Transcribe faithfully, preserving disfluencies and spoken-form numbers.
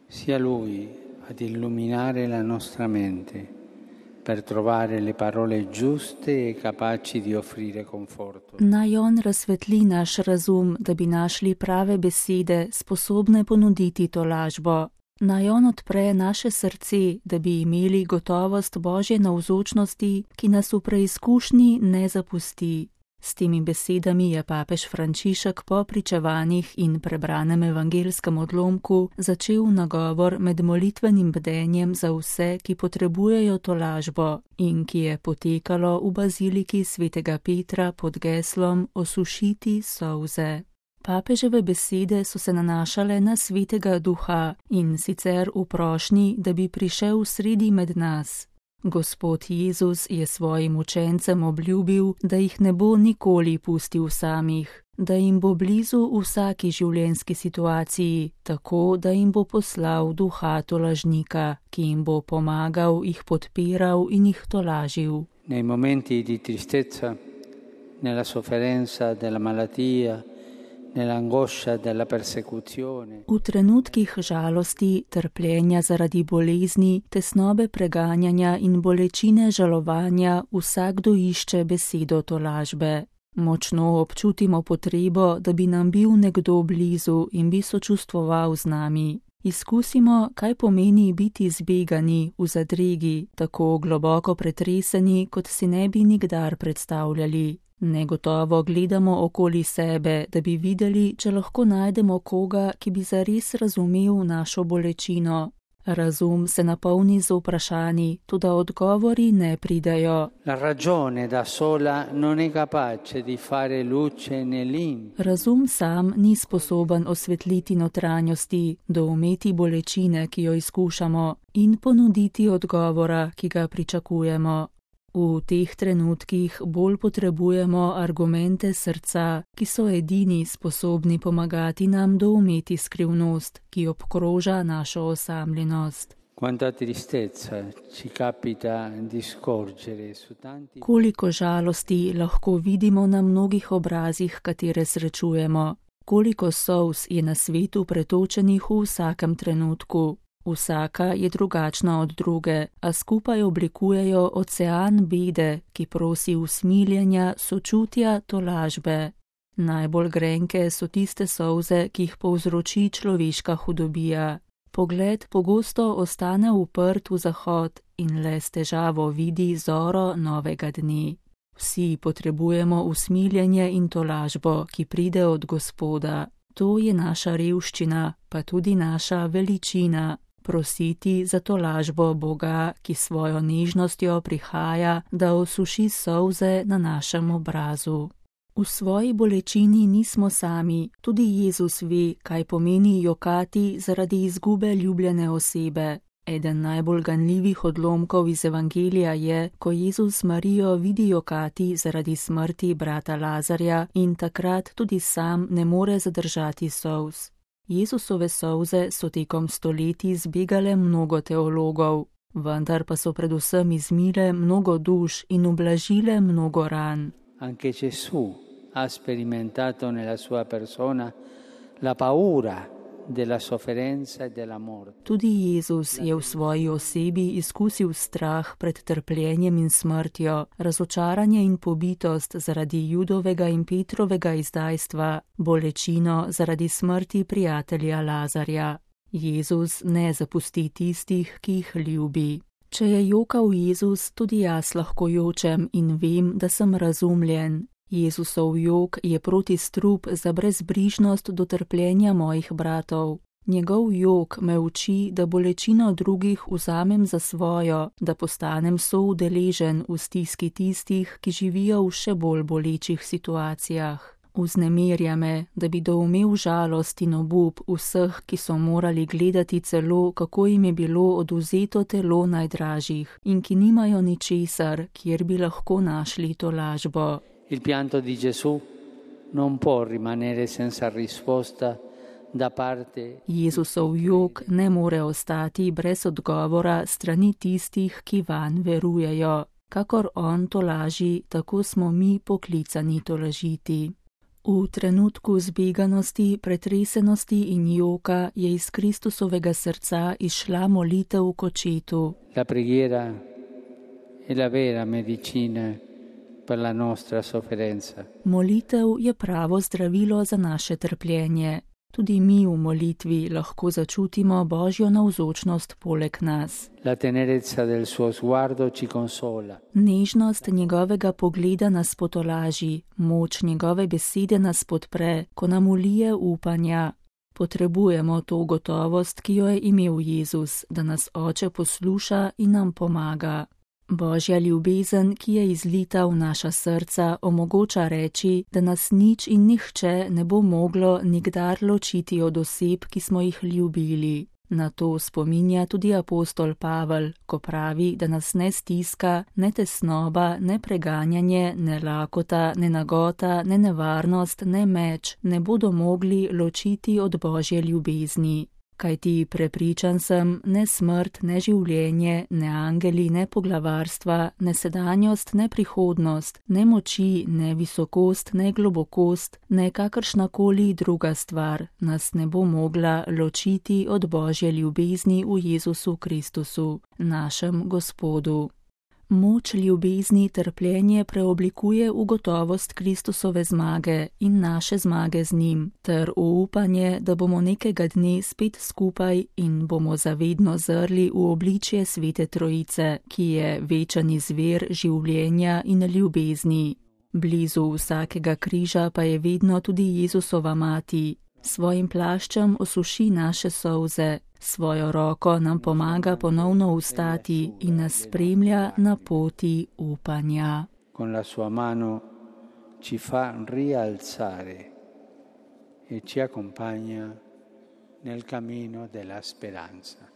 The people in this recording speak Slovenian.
Sia Lui ad illuminare la nostra mente per trovare le parole giuste e capaci di offrire conforto. Naj on razsvetli naš razum, da bi našli prave besede, sposobne ponuditi tolažbo. Naj on odpre naše srce, da bi imeli gotovost Božje navzočnosti, ki nas v preizkušnji ne zapusti. S temi besedami je papež Frančišek po pričevanjih in prebranem evangelskem odlomku začel nagovor med molitvenim bdenjem za vse, ki potrebujejo tolažbo in ki je potekalo v baziliki svetega Petra pod geslom Osušiti solze. Papeževe besede so se nanašale na svetega duha in sicer v prošnji, da bi prišel sredi med nas. Gospod Jezus je svojim učencem obljubil, da jih ne bo nikoli pustil samih, da jim bo blizu v vsaki življenjski situaciji, tako da jim bo poslal duha tolažnika, ki jim bo pomagal, jih podpiral in jih tolažil. Nei momenti di tristezza, nella sofferenza della malattia, nell'angoscia della persecuzione. V trenutkih žalosti, trpljenja zaradi bolezni, tesnobe preganjanja in bolečine žalovanja vsakdo išče besedo tolažbe. Močno občutimo potrebo, da bi nam bil nekdo blizu in bi sočustvoval z nami. Izkusimo, kaj pomeni biti zbegani, v zadregi, tako globoko pretreseni, kot si ne bi nikdar predstavljali. Negotovo gledamo okoli sebe, da bi videli, če lahko najdemo koga, ki bi zares razumel našo bolečino. Razum se napolni z vprašanji, toda odgovori ne pridejo. La ragione da sola non è capace di fare luce nell'intimo. Razum sam ni sposoben osvetliti notranjosti, doumeti bolečine, ki jo izkušamo, in ponuditi odgovora, ki ga pričakujemo. V teh trenutkih bolj potrebujemo argumente srca, ki so edini sposobni pomagati nam doumeti skrivnost, ki obkroža našo osamljenost. Quanta tristezza ci capita di scorgere su tanti. Koliko žalosti lahko vidimo na mnogih obrazih, katere srečujemo. Koliko solz je na svetu pretočenih v vsakem trenutku. Vsaka je drugačna od druge, a skupaj oblikujejo ocean bede, ki prosi usmiljenja, sočutja, tolažbe. Najbolj grenke so tiste solze, ki jih povzroči človeška hudobija. Pogled pogosto ostane uprt v zahod in le s težavo vidi zoro novega dne. Vsi potrebujemo usmiljenje in tolažbo, ki pride od Gospoda. To je naša revščina, pa tudi naša veličina. Prositi za tolažbo Boga, ki svojo nežnostjo prihaja, da osuši solze na našem obrazu. V svoji bolečini nismo sami, tudi Jezus ve, kaj pomeni jokati zaradi izgube ljubljene osebe. Eden najbolj ganljivih odlomkov iz Evangelija je, ko Jezus Marijo vidi jokati zaradi smrti brata Lazarja in takrat tudi sam ne more zadržati solz. Jezusove solze so tekom stoletij zbegale mnogo teologov, vendar pa so predvsem izmile mnogo duš in ublažile mnogo ran. Anche Gesù ha sperimentato nella sua persona la paura della sofferenza e della morte. Tudi Jezus je v svoji osebi izkusil strah pred trpljenjem in smrtjo, razočaranje in pobitost zaradi Judovega in Petrovega izdajstva, bolečino zaradi smrti prijatelja Lazarja. Jezus ne zapusti tistih, ki jih ljubi. Če je jokal Jezus, tudi jaz lahko jočem in vem, da sem razumljen. Jezusov jok je protistrup za brezbrižnost do trpljenja mojih bratov. Njegov jok me uči, da bolečino drugih vzamem za svojo, da postanem soudeležen v stiski tistih, ki živijo v še bolj bolečih situacijah. Vznemirja me, da bi doumel žalost in obup vseh, ki so morali gledati celo, kako jim je bilo oduzeto telo najdražjih in ki nimajo ničesar, kjer bi lahko našli tolažbo. Il pianto di Gesù non può rimanere senza risposta da parte. Jezusov jok ne more ostati brez odgovora strani tistih, ki vanj verujejo. Kakor on tolaži, tako smo mi poklicani tolažiti. V trenutku zbeganosti, pretresenosti in joka je iz Kristusovega srca izšla molitev k očetu. La preghiera è la vera medicina per la nostra sofferenza. Molitev je pravo zdravilo za naše trpljenje. Tudi mi v molitvi lahko začutimo Božjo navzočnost poleg nas. La tenerezza del suo sguardo ci consola. Nežnost njegovega pogleda nas potolaži, moč njegove besede nas podpre, ko nam ulije upanja. Potrebujemo to gotovost, ki jo je imel Jezus, da nas Oče posluša in nam pomaga. Božja ljubezen, ki je izlita v naša srca, omogoča reči, da nas nič in nihče ne bo moglo nikdar ločiti od oseb, ki smo jih ljubili. Na to spominja tudi apostol Pavel, ko pravi, da nas ne stiska, ne tesnoba, ne preganjanje, ne lakota, ne nagota, ne nevarnost, ne meč ne bodo mogli ločiti od Božje ljubezni. Kajti prepričan sem, ne smrt, ne življenje, ne angeli, ne poglavarstva, ne sedanjost, ne prihodnost, ne moči, ne visokost, ne globokost, ne kakršnakoli druga stvar nas ne bo mogla ločiti od Božje ljubezni v Jezusu Kristusu, našem Gospodu. Moč ljubezni trpljenje preoblikuje v gotovost Kristusove zmage in naše zmage z njim, ter v upanje, da bomo nekega dne spet skupaj in bomo zavedno zrli v obličje Svete Trojice, ki je večen izvir življenja in ljubezni. Blizu vsakega križa pa je vedno tudi Jezusova mati. Svojim plaščem osuši naše solze, svojo roko nam pomaga ponovno vstati in nas spremlja na poti upanja. Con la sua mano ci fa rialzare e ci accompagna nel cammino della speranza.